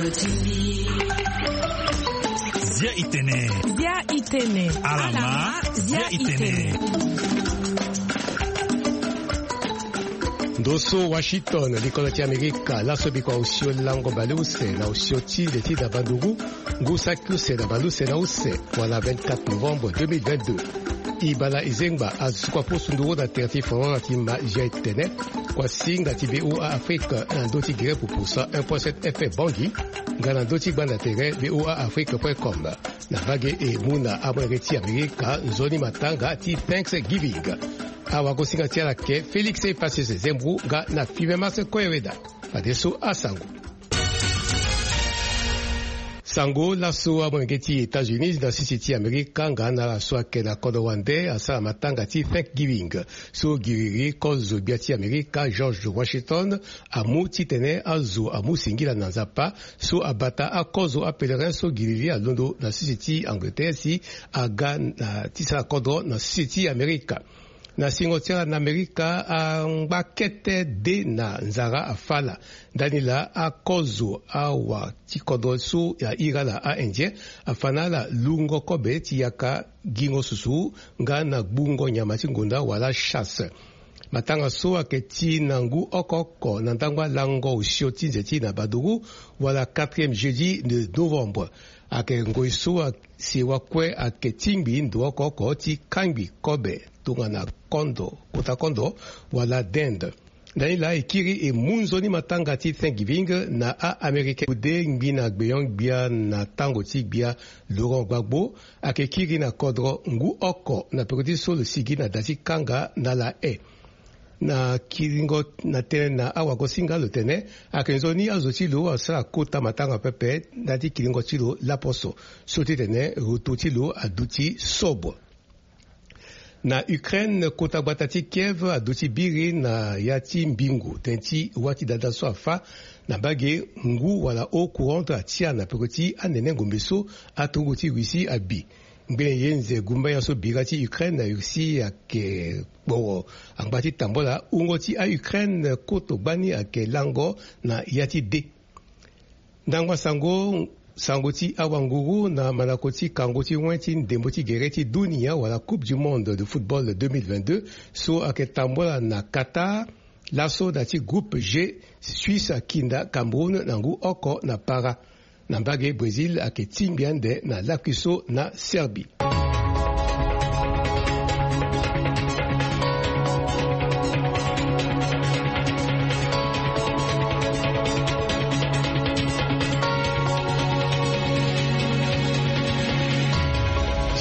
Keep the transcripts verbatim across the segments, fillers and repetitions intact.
Zia itene. Zia itene. Alama. Zia itene. Ndo so Washington, likolo ti Amerika, laso bikua osio lango baleuse na osio ti nze ti na banduru, ngu saki use na baleuse na use, wala vingt-quatre novembre deux mille vingt-deux. Ibala Izengba azo so kua poso nduru na tere ti Forola ti ma Zia itene, kua singa ti V O A Afrique na ndö ti gere pupu cent un point sept F M Bangui, nga na ndö ti gbanda tere V O A Afrique point com. Na mbage e mu na amolenge ti Amerika nzoni matanga ti Thanksgiving. Awagosinga ti ala ke Félix Epacius Zembru nga na Five Mars Koyeweda. Fadeso asango. Sango laso amolenge ti États-Unis na sisi ti Amerika nga na ala so ayeke na kodro wande asara matanga ti Thanksgiving. So giriri kozo gbia ti Amerika George Washington amu titene azo amu singila na Nzapa so abata akozo apèlerin so giriri alondo na sisi ti Angleterre si aga na ti sara kodro na sisi ti Amerika. Na singo ti ala na Amerika angba kete de na nzara afa ala. Ndani laa akozo awa ti kodro so ahiri ala a-Indien afa na ala lungo kobe ti yaka gingo susu nga na gbungo nyama ti ngonda wala chasse. Matanga so ayeke ti na ngu oko oko na ndangba lango osio ti nze ti na baduru wala quatrième jeudi de novembre. Ayeke ngoi so asi wakue ayeke tingbi ndo oko oko ti kangbi kobe tongana kondo, kota kondo wala dinde. Ndani laa e kiri e mu nzoni matanga ti Thanksgiving na a-Américain. Bude ngbi na gbenyon-gbia na tango ti gbia Laurent Gbagbo ayeke kiri na kodro ngu oko na peko ti so lo sigi na da ti kanga na ala e. Na kiringo na tënë na awagosinga lo tene ayeke nzoni azo ti lo asara kota matanga pepe ndali ti kiringo ti lo laposo so ti tene roto ti lo aduti sobre. Na Ukraine, kota gbata ti Kiev aduti biri na ya ti mbingo tënë ti wâ ti dada so afâ na mbage ngu wala eau courante atia na peko ti anene ngombe so aturugu ti Russie abi. Ngbene ye nze gumbaya so bira ti Ukraine na Russie ayeke kporo angba ti tambola wungo ti a-Ukraine koto gbani ayeke lango na ya ti de. Ndangba sango, sango ti awanguru na mandako ti kango ti wen ti ndembo ti gere ti dunia wala Coupe du Monde de football deux mille vingt-deux so ayeke tambola na Qatar. Laso na ti groupe G, Suisse akinda Cameroun na ngu oko na para. Na mbage Brésil ayeke tingbi ande na lakui so na Serbie.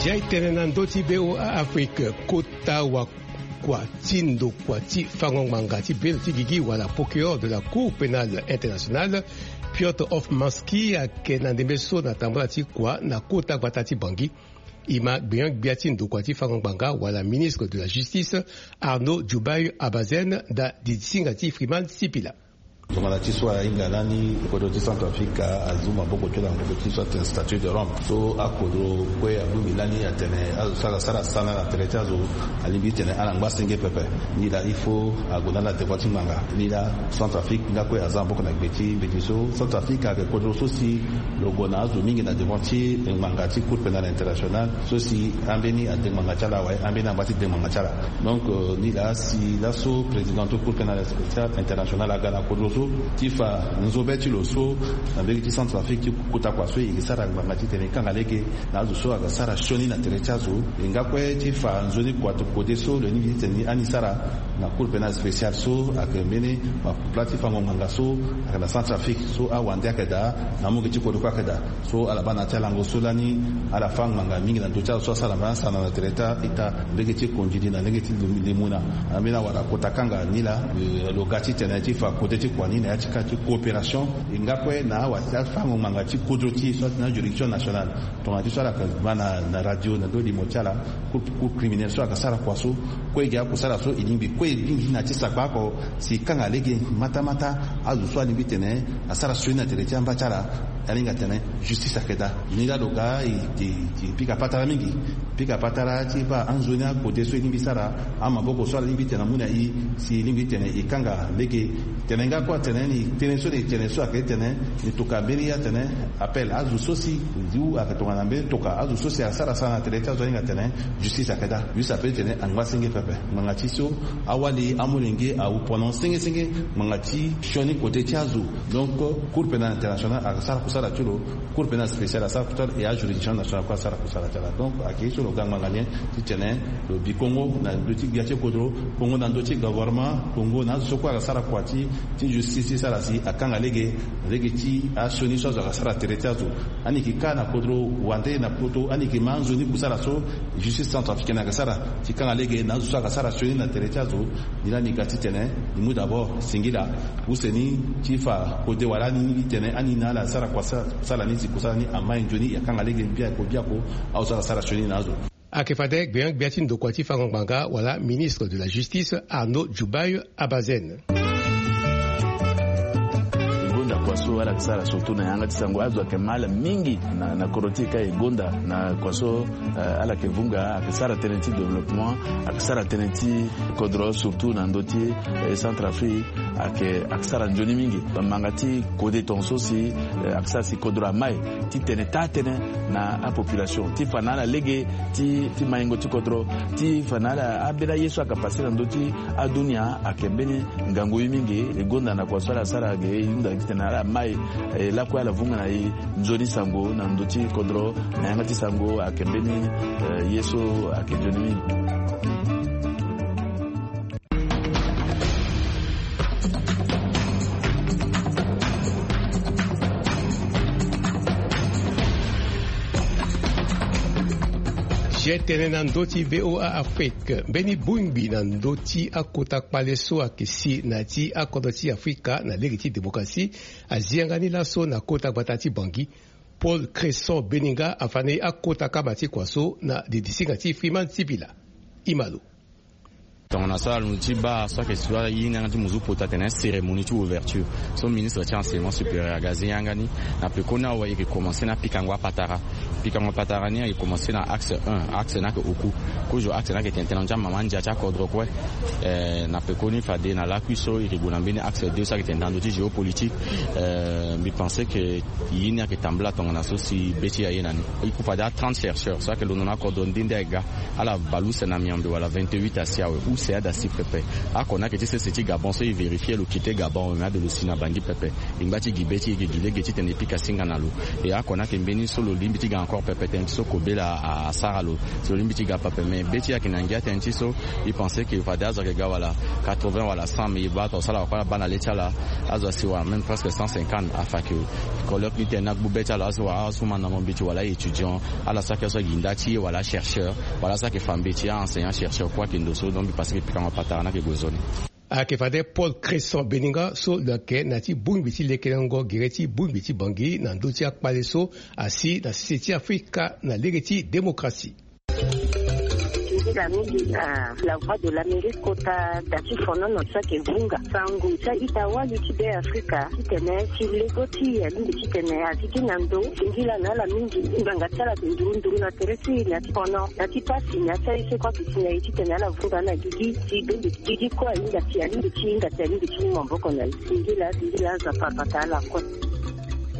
Zia e tene na ndö ti V O A Afrique, kota wakua ti ndokua ti fango ngbanga ti belo ti gigi wala procureur de la Cour pénale internationale, Piotr Hofmanski ayeke na ndembe so na tambola ti kua na kota gbata ti Bangui. E ma gbenyon-gbia ti ndokua ti fango ngbanga wala ministre de la Justice, Arnaud Djoubaye Abazène, daa didisinga ti Freeman Sipila. Tongana ti so ahinga lani kodro ti Centrafrique azu maboko ti lo na kodro ti so atene statut de Rome. So akodro kue abongbi lani atene azo so aga sara sana na tere ti azo alingbi ti tene ala ngba senge pepe. Ni laa il faut ague na ala devant ti ngbanga. Ni laa Centrafrique nga kue aza maboko na gbe ti mbeti so. Centrafrique ayeke kodro so si lo gue na azo mingi na devant ti ngbanga ti Cour pénale internationale so si ambeni ade ngbanga ti ala awe, ambeni angba ti de ngbanga ti ala. Donc, euh, ni laa si laso président ti Cour pénale spéciale internationale aga na kodro so ti fa nzobe ti lo so na mbege ti Centrafrique ti kota kua so e yeke sara ngbanga titene e kanga lege na azo so aga sara sioni na tere ti azo. E nga kue ti fa nzoni kua ti kode so lo ningbi titene ani sara na Cour pénale spéciale so ayeke mbeni mapula ti fango ngbanga so ayeke na Centrafrique so awande ayeke daa na amungi ti kodro kue ayeke daa. So ala baa na ya ti alango so lani ala fâ ngbanga mingi na ndö ti ala so asara mbeni asana na tere ti a-ita, mbege ti kondidi na lege ti lim-, limuna. Ambeni awara kota kanga ni laa, eh, lo ga titene ti fa kode ti kua ni na ya ti ka ti coopération. E nga kue na awa ti afango ngbanga ti kodro ti e so atene ajuridiction nationale. Tongana ti so ala yeke ma na, na radio na ndo limo ti ala, cour, cour criminelle so ayeke sara kua so, kue e gi akusala so e lingbi kue e lingbi na ti sakpa oko si e kanga lege mata mata azo so alingbi tene asara sioni na tere ti amba ti ala. Alinga tene justice ayeke daa. Ni laa lo ga e pika patara mingi. Pika patara ti baa anzoni akode so e lingbi sara, amaboko so ala lingbi tene amu na e, si e lingbi tene e kanga lege. Tene nga kue atene ni tënë so ni tene so ayeke tene ni toka mbeni atene appel azo so si, ndu ayeke tongana mbeni toka azo so si asara sara na tere ti azo alinga tene justice ayeke daa. Justice ape tene angba senge pepe ngbanga ti so awali amolenge awu pendant senge senge ngbanga ti sioni kote ti azo. Donc cour pénale internationale ayeke sara kusala ti lo. Cour pénale spéciale asara kusala et ajuridiction nationale kue asara kusala ti ala. Donc ayeke ye so lo ga ngbanga ni titene lo bi kongo na ndö ti gbia ti kodro, kongo na ndö ti gouvernement, kongo na azo so kue ayeke sara kua ti ti justice ti sara si akanga lege lege ti asioni so azo ayeke sara tere ti azo. Ani yeke ka na kodro wande na poto ani yeke ma anzoni kusala so justice centrafricaine ayeke sara ti kanga lege na azo so ayeke sara sioni na tere ti azo. Ni laa ni ga titene ni mu d'abord singila use ni ti fa kode wala ani lingbi tene ani na ala asara kua sara ni si kusala ni amai nzoni e akanga lege biako biako. Azo so ayeke sara sioni na azo. Ayeke fade gbia gbia ti ndokua ti fango ngbanga wala ministre de la justice Arnaud Djoubaye Abazen. E gonda kua so ala yeke sara surtout na yanga ti sango azo ayeke ma ala mingi na, na kodro ti e ka e gonda na kua so, eh, ala yeke vunga ayeke sara tënë ti développement, ayeke sara tënë ti kodro surtout na ndö ti, eh, Centrafrique. Ayeke, ayeke sara nzoni mingi. Bamanga ti kode tongaso si, eh, ayeke sara si kodro amai ti tene taa tënë na apopulation ti fa na ala lege ti, ti maingo ti kodro ti fa na ala ambeni aye so ayeke pase na ndö ti adunia ayeke mbeni ngangu ye mingi. E gonda na kua so ala sara ge e hunda titene ala mai, eh, lakue ala vunga na e nzoni sango na ndö ti kodro na yanga ti sango ayeke mbeni, eh, ye so ayeke nzoni mingi. Zia tënë na ndö ti VOA Afrique. Mbeni bongbi na ndö ti akota kpale so ayeke si na ya ti akodro ti Afrika na lege ti démocratie azi yanga ni laso na kota gbata ti Bangui. Paul Cresson Beninga afa na e akota kama ti kua so na didisinga ti Freeman Sibila. Ima lo. Tongana so alondo ti baa so ayeke si ala ye ni yanga ti muzu pota atene cérémonie ti ouverture so ministre ti enseignement supérieur aga azi yanga ni. Na pekoni awe e yeke komanse na pikango apatara. Pikango apatara ni ayeke komanse na axe un, axe ni ayeke oku. Kozo axe ni ayeke tene tënë na ndö ti amama ndia ti akodro kue. Eh, na pekoni fade na lakui so e yeke gue na mbeni axe deux so ayeke tene na ndö ti géopolitique. Eh, mbi pense que ye ni ayeke tambula tongana so si be ti e aye na ni. E ku fade a trente chercheurs so ayeke londo na akodro nde nde ayeke ga. Ala bale use na miombe wala vingt-huit asi awe use ada si pepe. Oko ni ayeke ti sese ti Gabon so e vérifier lo quitté Gabon awe me ade lo si na Bangui pepe. E ngba ti gi be ti e e yeke gi lege titene e pika singa na lo. E oko ni ayeke mbeni so lo lingbi ti ga encore pepe tënë ti so kobela asara lo. Si lo lingbi ti ga pepe me be ti e ayeke na ngia tënë ti so e pense que fade azo ayeke ga wala quatre-vingts wala cent, me e baa tongaso ala wara kue ala baa na le ti ala. Azo asi wara même presque cent cinquante afa que colloque ni tënë ni agbu be ti ala azo wara azo so ma na mo mbeti wala étudiant. Ala saki azo so ayeke gi nda ti e wala chercheur wala azo so ayeke fa mbeti a enseignant chercheur kue ayeke ndo so. Donc mbi pense que pikango patara ni ayeke gue nzoni. Ayeke fade Paul Cresson Beninga so lo yeke na ya ti bongbi ti lekelango gere ti bongbi ti Bangui na ndö ti akpale so asi na sese ti Afrika na lege ti démocratie. Nzila mingi na La Voix de l'Amérique kota da ti fonono so ayeke vunga sango ti a-ita wali ti Be Afrika titene si lego ti e alingbi titene azi gi na ndo singila na ala mingi. Ngbanga ti ala ayeke nduru nduru na tere ti e na ti fono na ti pasi na ya ti aye so kue ayeke si na e titene ala vunga na gigi si be mbi gigi kue ahinga si alingbi ti hinga si alingbi ti mu maboko na e. Singila singila azo apara bata ala kue.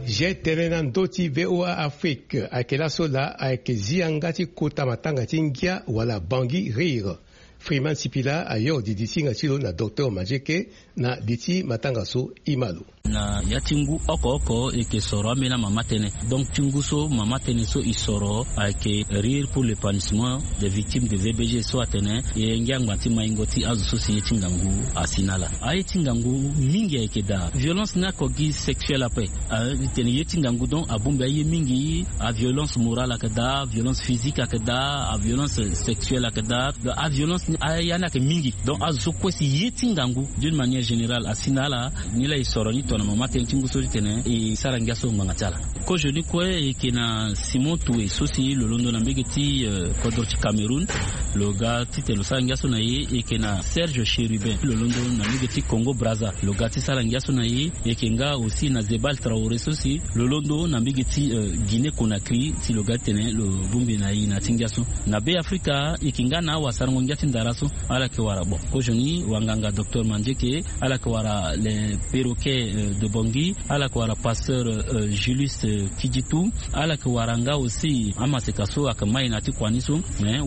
Zia tënë na ndö ti VOA Afrique ayeke laso laa ayeke zi yanga ti kota matanga ti ngia wala Bangui Rire. Freeman Sipila ayoro didisinga ti lo na docteur Majeke na li ti matanga so. Ima lo. Na ya ti ngu oko oko e yeke soro ambeni amama tënë. Donc ti ngu so mama tënë so e soro ayeke Rire pour l'épanouissement des victimes de V B G so atene e ngia ngba ti maingo ti azo so si ye ti ngangu asi na ala. Aye ti ngangu mingi ayeke daa. Violence ni ako gi sexuelle ape. Ah, e tene ye ti ngangu donc abongbi aye mingi. Aviolence morale ayeke daa, aviolence physique ayeke daa, aviolence sexuelle ayeke daa. Donc aviolence Aya ni ayeke mingi. Donc azo so kue si ye ti ngangu d'une manière générale asi na ala. Ni laa e soro ni tongana mama tënë ti ngu so titene e sara ngia so ngbanga ti ala. Kozo ni kue e yeke na Simon Toue so si lo londo na mbege ti kodro ti Cameroun. Lo ga titene lo sara ngia so na ye. E yeke na Serge Chérubin lo londo na mbege ti Congo Brazza, lo ga ti sara ngia so na ye. E yeke nga aussi na Zebal Traoré so si lo londo na mbege ti Guinée Conakry si lo ga titene lo bongbi na e na ya ti ngia so. Na Be Afrika e yeke nga na awasarango ngia ti ndara so. Ala yeke wara bon, kozoni wanganga docteur Mandieke, ala yeke wara le perroquet de Bangui, ala yeke wara pasteur Julius Kiditu, ala yeke wara nga aussi amaseka so ayeke mai na ya ti kua ni so,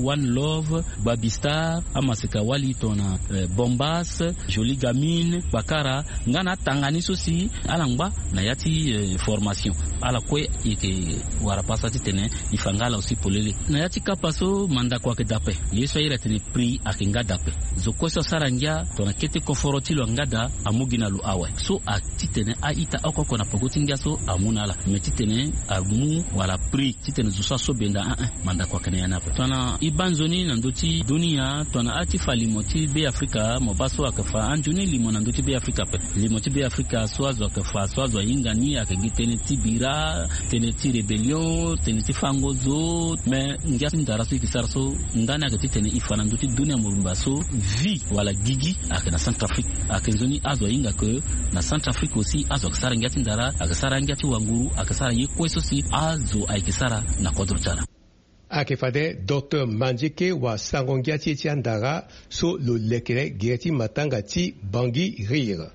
One Love, Babista, amaseka wali tongana Bombas, Jolie Gamine, Bakara, nga na atanga ni so si ala ngba na ya ti formation. Ala kue e yeke wara pasa titene e fa nga ala aussi polele na ya ti kapa so mandako ayeke daa ape. Ye so ahiri atene prix ayeke nga daa ape. Zo kue so asara ngia tongana kete koforo ti lo anga daa amu gi na lo awe. So atitene a-ita oko oko na peko ti ngia so amu na ala, me titene amu wala prix titene zo so aso benda, a-e, mandako ayeke na ya ni ape. Tongana e baa nzoni na ndö ti dunia, tongana a ti fa limo ti Be Afrika, mo baa so ayeke fa anzoni limo na ndö ti Be Afrika ape. Limo ti Be Afrika so azo ayeke fa, so azo ahinga ni ayeke gi tënë ti bira, tënë ti rébellion, tënë ti fango zo. Me ngia ti ndara so e yeke sara so ndani ayeke titene e fa na ndö ti dunia mobimba so vie wala gigi ayeke na Centrafrique. Ayeke nzoni azo ahinga ke na Centrafrique aussi azo ayeke sara ngia ti ndara, ayeke sara ngia ti wanguru, ayeke sara ye kue so si azo ayeke sara na kodro ti ala. Ayeke fade docteur Mandieke wasango ngia ti e ti andara so lo lekere gere ti matanga ti Bangui Rire.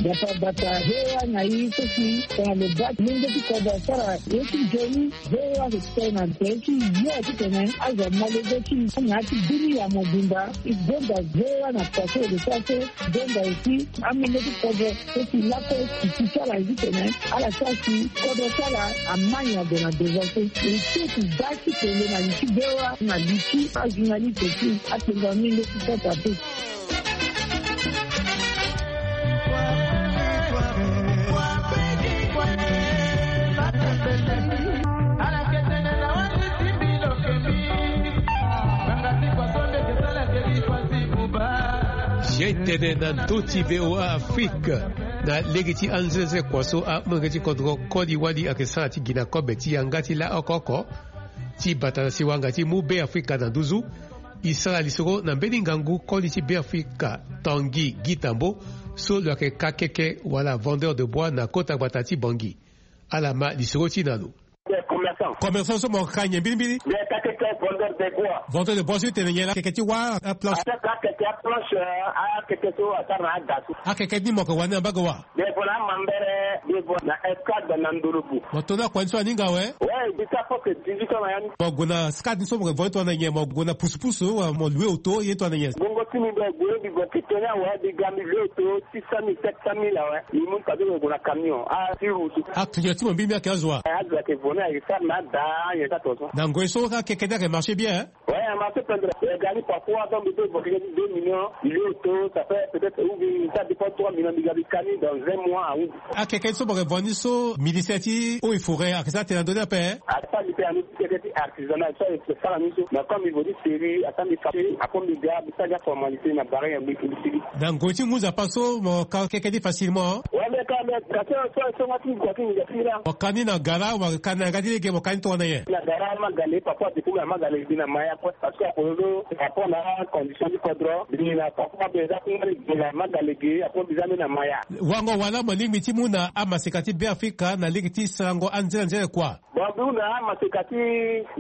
Bata bata V O A na e so si tongana lo baa ti lenge ti kodro asara ye ti nzoni. V O A ayeke tene na tere ti yo titene azo amolenge ti na ya ti dunia mobimba. E gonda V O A na kua so e lo sara so. Gonda aussi amolenge ti kodro so si lakue e ti ti ala ye titene ala sara si kodro ti ala amai na gue na devant so. E so e ti baa ti tene na li ti V O A na li ti ajournaliste ti apengo amolenge ti kota te. Zia e tene na ndö ti V O A Afrique na lege ti anzenze kua so amolenge ti kodro koli wali ayeke sara ti gi na kobe ti yanga ti la oko oko ti bata na siwa nga ti mu Be Afrika na nduzu. E sara lisoro na mbeni ngangu koli ti Be Afrika Tanguy Guy Tambo so lo yeke kakeke wala vendeur de bois na kota gbata ti Bangui. Ala ma lisoro ti na lo. Commerçant so mo ka nyen mbirimbiri? Vendeur de bois so e tene nyen la? Akeke ti wâ, aplanche. Akeke ti aplanche. Akeke so asara na ada so. Akeke ni mo yeke wani na mbage wa? Devant na Mambere, devant na Escad na Ndolobu. Mo to ni akua ni so aninga awe? Ouais, mbi sara presque dix-huit ans na ya ni. Mo gue na Escad ni so mo yeke vo ni tongana nyen? Mo gue na pusupusu wala mo loue auto ye tongana nyen? Bongo ti mbi mbi gue mbi gue keke ni awe, mbi ga mbi loue auto six cent mille, sept cent mille awe. Mbi mu ni fade mbi gue na camion. Ah, ti route. Atunga ti mo mbirimbiri ayeke azo wa? Eh, azo ayeke vo ni ayeke sara na ada nyen ti ato so. Na ngoi so akeke ni ayeke marché bien, hein? Ouais, a marché pendere. E ga ni parfois, donc, mbi peut évoquer deux millions, mbi loue auto, ça fait peut-être, ou bien, ça dépend, trois millions, mbi ga mbi ka ni dans un mois, ah oui. Akeke ni so mo yeke vo ni so, ministère ti eaux et forêts ayeke sara tënë na ndö ni ape, hein? Asara mbi tënë na ndö ti keke ti artisanat so ayeke sara ni so. Mais comme mbi vo ni serrure, asara mbi fa, après mbi ga mbi sara ni aformalité na barrière mbi, mbi sigi. Na ngoi ti ngu nzapa so mo ka keke ni facilement? Ouais, mais quand même, ka so, so, so nga ti mbi kua ti mbi ga ti mbi laa. Mo ka ni na gara, mo ka ni na yanga ti lege, mo ka ni tongana nyen? Na gara Magale, parfois depuis na Magale mbi na Maya kue. Parce que akololo, par rapport na condition ti kodro, mbi na papa mbi eza kungba ni gi na Magale gi, apo mbi za ni na Maya. Wango wala mo lingbi ti mu na amaseka ti Be Afrika na lege ti sarango anzere anzere kua? Bon, mbi hunda amaseka ti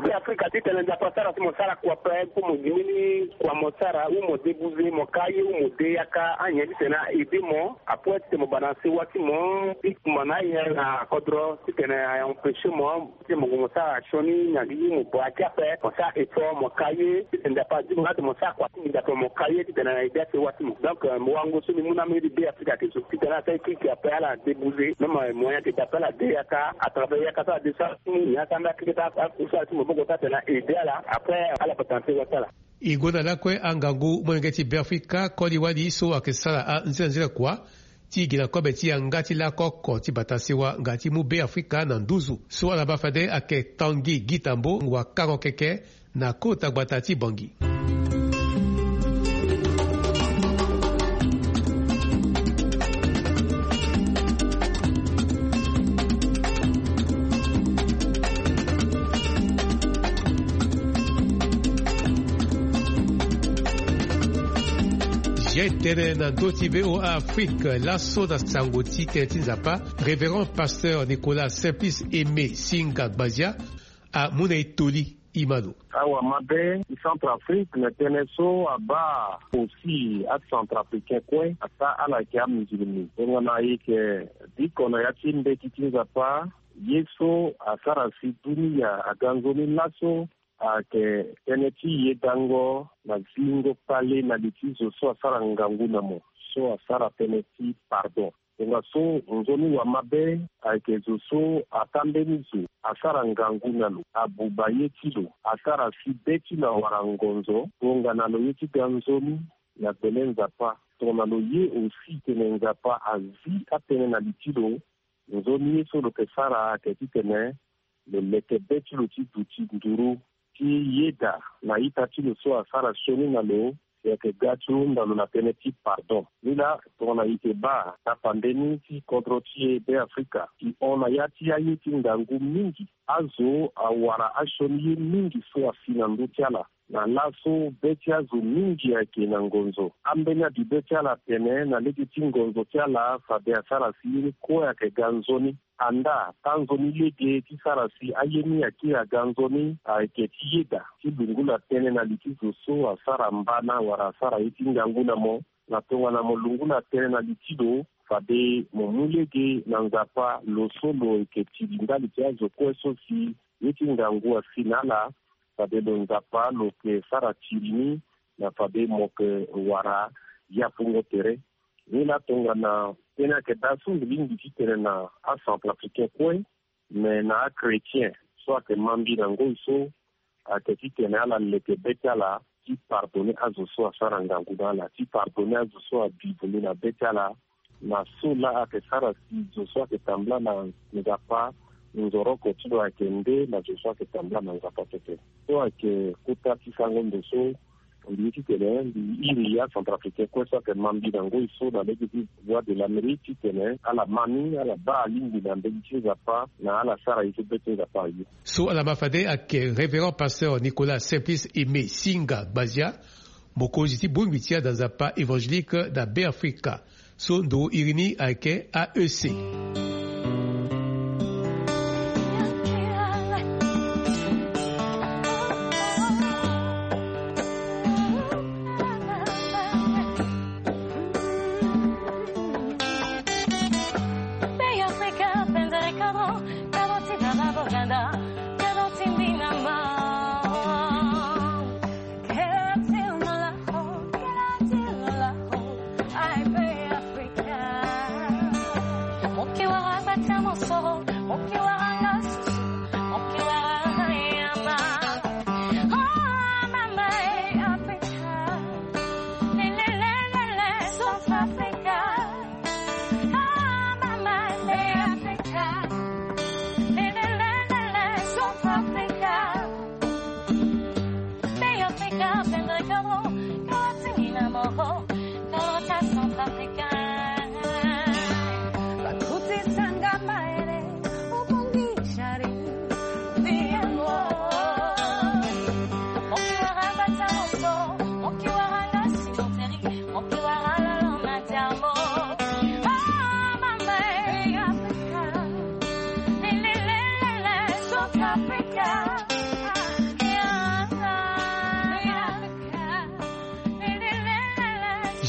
Be Afrika titene Nzapa asara si mo sara kua ape, pour mo gi mbeni kua mo sara, ou mo débouser, mo ka ye, ou mo de yaka, anyen titene a aider mo, apo titene mo bana sewa ti mo, ti kumba na ayen na kodro, titene a empêcher mo, ti mo gue mo sara sioni na gi mo baa ti ape, mo sara effort mo ka ye, titene Nzapa azi mo nga ti mo sara kua ti mbi Nzapa mo ka ye, titene na aider asewa ti mo. Donc, euh, mo wango so mbi mu na amolenge ti Be Afrika ayeke so. Titene asara équipe ape ala débouser, même, euh, moyen ayeke daa ape ala de yaka, à travers yaka so ala de so ala ti mu, nyen asara mbi akeke ti akusala ti maboko so atene na aider ala, après, ala bata na sewa ti ala. E gonda lakue angangu molenge ti Be Afrika koli wali so ayeke sara anzenanzena kua ti gi na kobe ti yanga ti lakoko ti bata sewa nga ti mu Be Afrika na nduzu. So ala baa fade ayeke Tanguy Guy Tambo, wakango keke na kota gbata ti Bangui. Ye tënë na ndö ti V O A Afrique, laso na sango ti tënë ti Nzapa, Révérend Pasteur Nicolas Simplice Aimé Singa Gbazia amu na e toli. Imano. Awa mabe ti Centrafrique na tënë so abaa aussi aCentrafricain kue, ata ala yeke amusulmi. Tongana e yeke biko na ya ti mbeti ti Nzapa, ye so asara si dunia aga nzoni laso ayeke tënë ti yedango na zingo kpale na li ti zo so asara ngangu na mo, so asara tënë ti pardon. Tongaso nzoni wa mabe ayeke zo so ata mbeni zo asara ngangu na lo, abuba ye ti lo, asara si be ti lo awara ngonzo, tongana lo ye ti ga nzoni na gbele Nzapa. Tongana lo ye aussi tene Nzapa azi atënë na li ti lo, nzoni ye so lo yeke sara ayeke titene lo leke be ti lo ti duti nduru ti yeda na ita ti lo so asara sioni na lo, si ayeke ga ti hunda lo na tënë ti pardon. Ni laa tongana e yeke baa tapande ni ti kodro ti e Beafrika, e hon na ya ti aye ti ngangu mingi. Azo awara asioni ye mingi so asi na ndö ti ala. Na laso be ti azo mingi ayeke na ngonzo. Ambeni abi be ti ala atene na lege ti ngonzo ti ala fade asara si ye ni kue ayeke ga nzoni. Andaa, tanzoni lege ti sara si aye ni akiri aga nzoni ayeke ti yeda ti lungula tënë na li ti zo so asara mbana wala asara ye ti ngangu na mo. Na tongana mo lungula tënë na li ti lo, fade mo mu lege na Nzapa lo so lo yeke tiri ndali ti azo kue so si ye ti ngangu asi na ala, fade lo Nzapa lo yeke sara tiri ni, na fade mo yeke wara yapungo tere. Ni laa tongana tënë ayeke daa so mbi lingbi titene na aCentrafricain kue, me na achrétien so ayeke ma mbi na ngoi so, ayeke titene ala leke be ti ala ti pardonner azo so asara ngangu na ala, ti pardonner azo so abi vundu na be ti ala, na so laa ayeke sara si zo so ayeke tambula na Nzapa nzoroko ti lo ayeke nde na zo so ayeke tambula na Nzapa pepe. So ayeke kota ti sango ndo so mbi ye titene mbi iri aCentrafricain kue so ayeke ma mbi na ngoi so na lege ti Voix de l'Amérique titene ala ma ni, ala baa alingbi na mbeni ti Nzapa, na ala sara ye so be ti Nzapa aye. So ala ma fade ayeke Révérend Pasteur Nicolas Simplice Aimé Singa Gbazia, mokonzi ti bongbi ti ada Nzapa évangélique na Beafrika. So ndo iri ni ayeke A E C.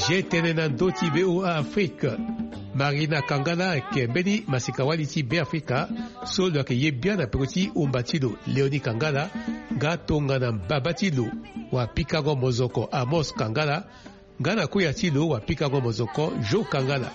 Ye tënë na ndö ti V O A Afrique. Marina Kangala ayeke mbeni masika-wali ti Beafrika so lo yeke ye bian na peko ti umba ti lo Léonie Kangala, nga tongana mbaba ti lo wapikango mozoko Amos Kangala, nga na koya ti lo wapikango mozoko Jo Kangala.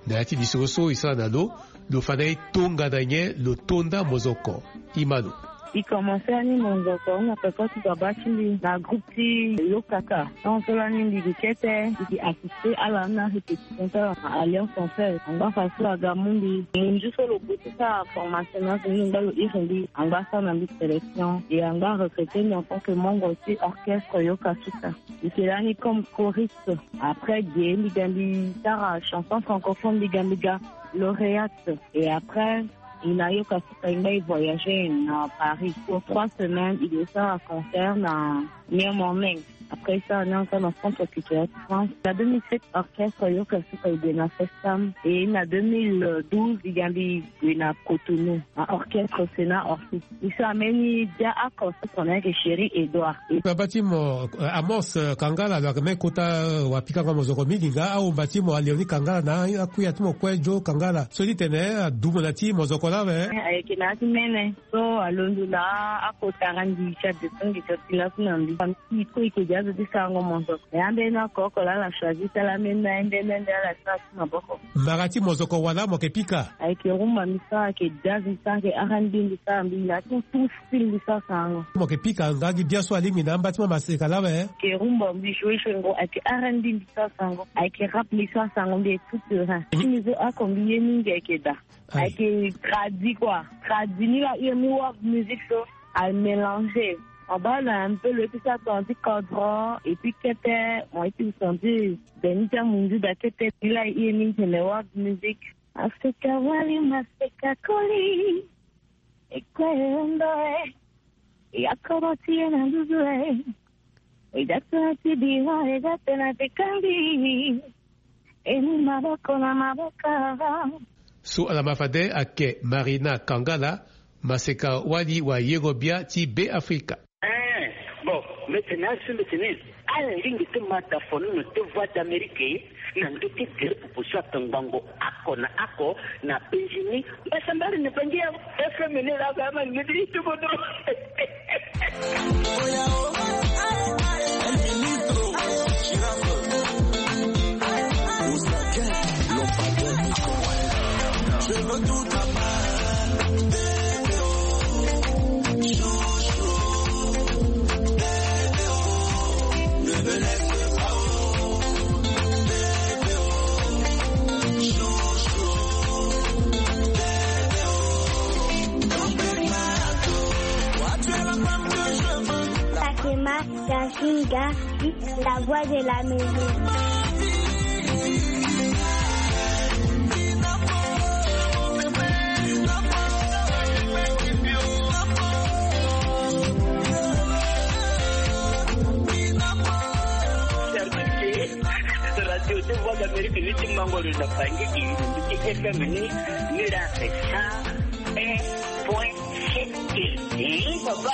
Na ya ti lisoro so e sara na lo, lo fa na e tongana nyen lo tonda mozoko. Imano. E commencer ani monzoko na peko ti baba ti mbi na groupe ti Yokaka. Donc so lani mbi gi kete, mbi gi assister ala na répétition ti ala na Alliance Française. Angba façon aga mu mbi. Munzu so lo gue ti sara formation na so mbi ngba lo iri mbi. Angba sara na mbi sélection. Et angba recruter mbi en tant que membre ti orchestre Yokasuka. Mbi ke lani comme choriste. Après ge mbi ga mbi sara chanson francophone, mbi ga mbi ga lauréate. Et après, e na Yokasuka e ngba e voyager na Paris pour trois semaines, e ke sara concert na New Morning. Après ça, on est encore dans le centre culturel de France. Na deux mille sept, orchestre Yokasuka e gue na Festam. Et na deux mille douze, e ga mbi gue na Cotonou, na orchestre Sénat Orsi. E sara mbeni dia oko so tongana yeke Chéri Edouard. Baba ti mo, euh, Amos, euh, Kangala, lo yeke mbeni kota, euh, wa pikango mozoko mingi nga, ahomba ti mo Léonie Kangala na akuya ti mo kue Joe Kangala. So ti tene, euh, adumo na ti mozoko laa awe. Ayeke na ya ti mene. So alondo na akota randi ti adeso ngi ti ti laku na mbi. Famille ti e kue e yeke gi azo ti sarango mozoko. Me ambeni oko oko laa ala choisir ti ala mbeni na ye nde nde nde ala sara ti maboko. Mara ti mozoko wala mo yeke pika? Ayeke rumba mbi sara, ayeke jazz mbi sara, ayeke R and B mbi sara, mbi na ti tout style mbi sara sarango. Mo yeke pika nga gi bia so alingbi na amba ti mo maseka laa awe? Ayeke rumba mbi joue joue ngo, ayeke R and B mbi sara sarango, ayeke rap mbi sara sarango, mbi est tout terrain. Ti mbi so oko mbi ye mingi ayeke da. Aye. Ayeke tradi quoi. Tradi ni la, e mu world music so a mélanger. Mo baa na un peu lo ye ti sara tongana ti kodro et puis kete, mo ye ti senti beni ti amunzu da kete. Ni la e ye mingi tene world music. Maseka wali, maseka koli. E kue e ondo e. E ya kodro ti e na nduzu e. E da tongana ti bira e da tena ti kangi. E mu maboko na maboko. So ala ma fade ayeke Marina Kangala, maseka wali wa yero bia ti Be Afrika. Eh, bon, mbi tene asu mbi tene, ala lingbi ti ma da fonono ti Voix d'Amérique na ndö ti gere pupu so atongbango oko na oko na Benjini. Mbasambari na Bangi ya F M ni la ba ma ni di tubo do. Sakema Yasinga, la voix de la maison. Radio de Voix d'Amérique ni ti mango lo na Bangui, ti F M ni, ni la sa un point sept. Eh, papa.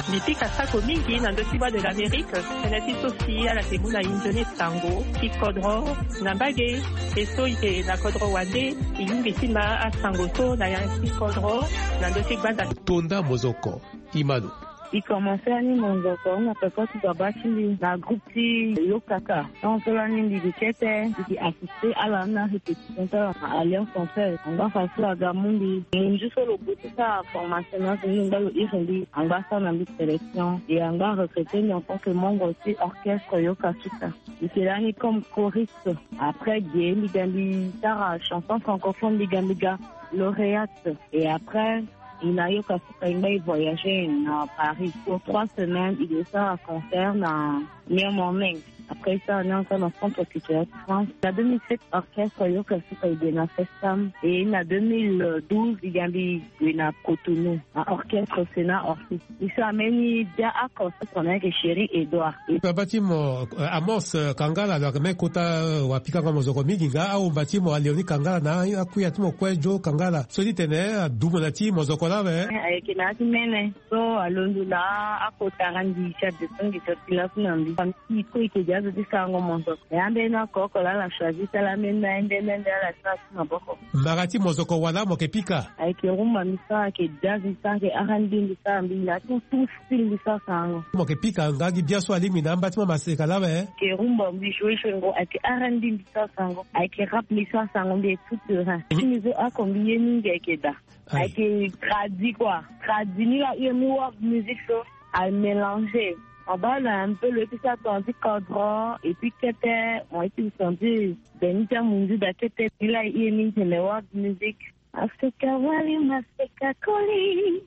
Mbi pika sako mingi na ndö ti Voix de l'Amérique. Tënë ti so si ala yeke mu na e nzoni sango ti kodro na mbage. E so e yeke na kodro wande, e lingbi ti ma asango so na ya ti kodro na ndö ti gbanda. Tonda mozoko, Imanu. E commencer ani monzoko na peko ti baba ti mbi na groupe ti Yokaka. Donc so lani mbi gi kete, mbi gi assister ala na répétition ti ala na Alliance Française. Angba façon aga mu mbi. Munzu so lo gue ti sara formation na so mbi ngba lo iri mbi. Angba sara na mbi sélection. Et angba recruter mbi en tant que membre ti orchestre Yokasuka. Mbi ke lani comme choriste. Après ge mbi ga mbi sara chanson francophone, mbi ga mbi ga lauréate. Et après, e na Yokasuka e ngba e voyager na Paris pour trois semaines, e ke sara concert na New Morning. Après ça, on est encore dans le centre culturel de France. Na deux mille sept, orchestre Yoka Suka i gue na Festam. Et na deux mille douze, i ga mbi gue na Cotonou, na orchestre Sénat Orchestre. I so ameni bia oko so tongana ayeke Chéri Edouard. Aba ti mo, euh, Amos, euh, Kangala, lo yeke me kota, euh, wapikango mozoko mingi nga, ahomba ti mo Léonie Kangala na akuya ti mo kue Joe Kangala. So ti tene adumo na ti mozoko laa awe. Eh, ayeke na ya ti mene. So alondo na akota randi ti adeso ngi so ti laso na mbi. Famille ko eke dia zo ti sarango mozoko. E ambeni oko oko laa ala choisi ti ala ambeni na ende ende ala ti na ti maboko. Mara ti mozoko wala mo yeke pika? Ayeke rumba mbi sara, ayeke jazz mbi sara, ayeke R and B mbi sara, mbi na tout, tout style mbi sara sarango. Mo yeke pika nga gi bia so alingbi na amba ti mo maseka laa awe? Ayeke rumba mbi joue joue ngo, ayeke R and B mbi sara sarango, ayeke rap mbi sara sarango, mbi est tout terrain. Ti mbi so oko mbi ye mingi ayeke da. Aye. Ayeke tradi quoi. Tradi ni la, ye mu world music so amélanger. Abaa na un peu lo ye ti sara tongana ti kodro et puis kete mo ye ti sentir beni ti amunzu da kete ni la, ye mingi tene world music. Maseka wali, maseka koli.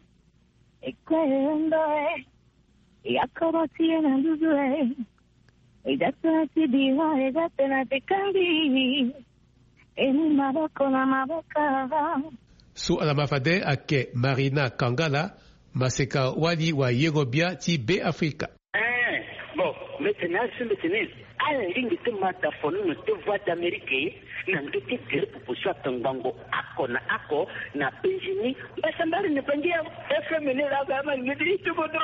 E kue e ndo e. E akoro ti e na nduzu e. E da tena ti bira, e da tena ti kangi. E mu maboko na maboko. So ala ma fade ayeke Marina Kangala, maseka wali wayengo bia ti Beafrika. Eh, bon, mbi tene asi mbi tene. Ala lingbi ti ma tafono na te Voix d'Amérique na ndö ti tere popo so atongbango oko na oko na penzi ni. Mbasambari ni pangi ya F M ni la ba ma ngedi tu bodo.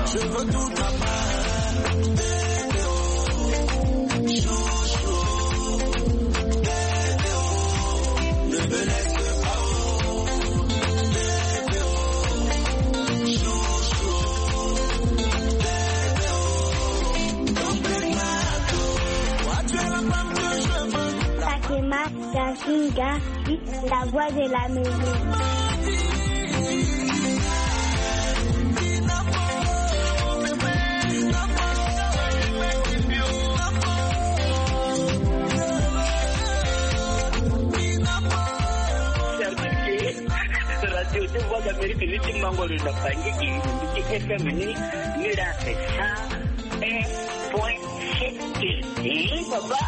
Je veux tout à part. Fatima Kashinga, la voix de l'Amérique. Radio ti Voix d'Amérique ni ti mango lo na Bangui, i ti F M ni, ni la cent un point sept. Eh, papa.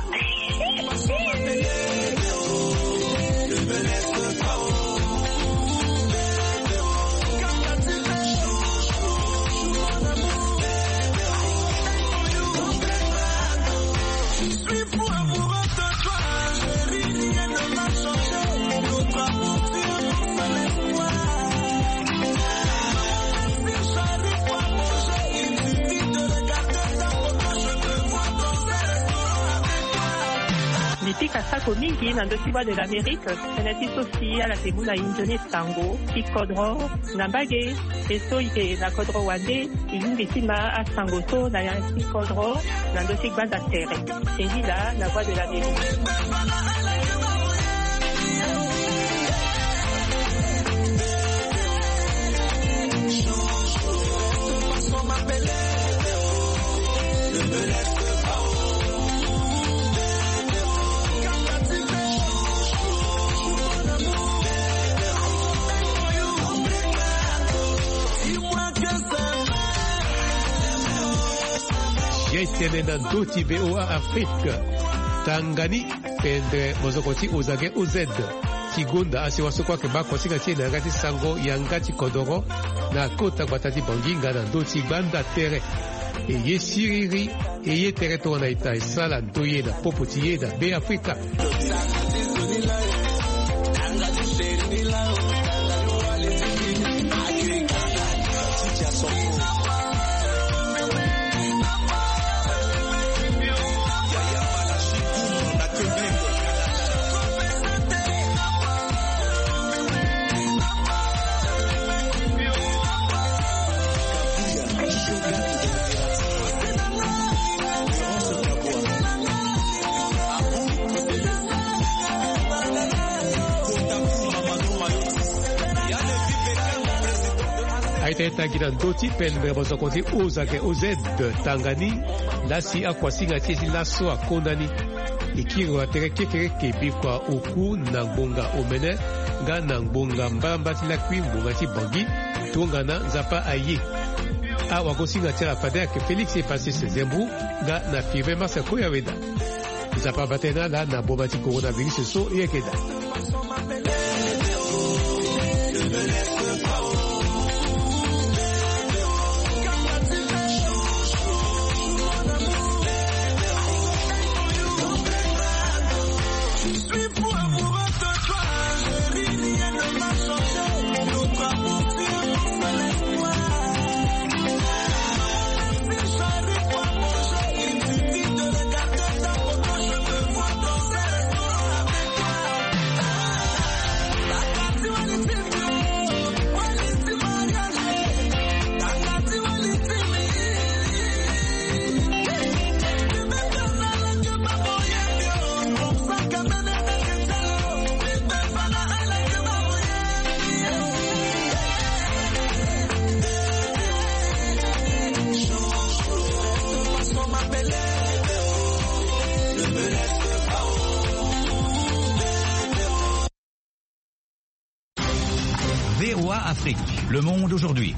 Mbi pika sako mingi na ndö ti Voix de l'Amérique, tënë ti so si ala yeke mu na e nzoni sango ti kodro na mbage. E so e yeke na kodro wande, e lingbi ti ma asango so na ya ti kodro na ndö ti gbanda tere. E ngi laa na Voix de l'Amérique. Ye tene na ndö ti V O A Afrique. Tanga ni pendere mozoko ti Ozage O Z ti gonda asiwa so kue ayeke baa kosinga ti e na yanga ti sango yanga ti kodoro na kota gbata ti Bangui nga na ndö ti gbanda tere. E ye siriri, e ye tere tongana ita e sara ndoye na popo ti e na Beafrika. Aita e tangi na ndö ti pele mbe mosoko ti Ozake O Z tanga ni. Lasi akuasinga ti e ti laso akonda ni. E kiri wa tere kekereke bikua oku na ngbonga omene nga na ngbonga mbalambala ti lakui ngbonga ti Bangui. Tongana Nzapa aye, awagosinga ti ala fade ayeke Félix Epassé Sezembou nga na Firmin Massa Koyaweda. Nzapa abata ye na ala na boma ti coronavirus so e yeke daa. V O A Afrique, le monde aujourd'hui.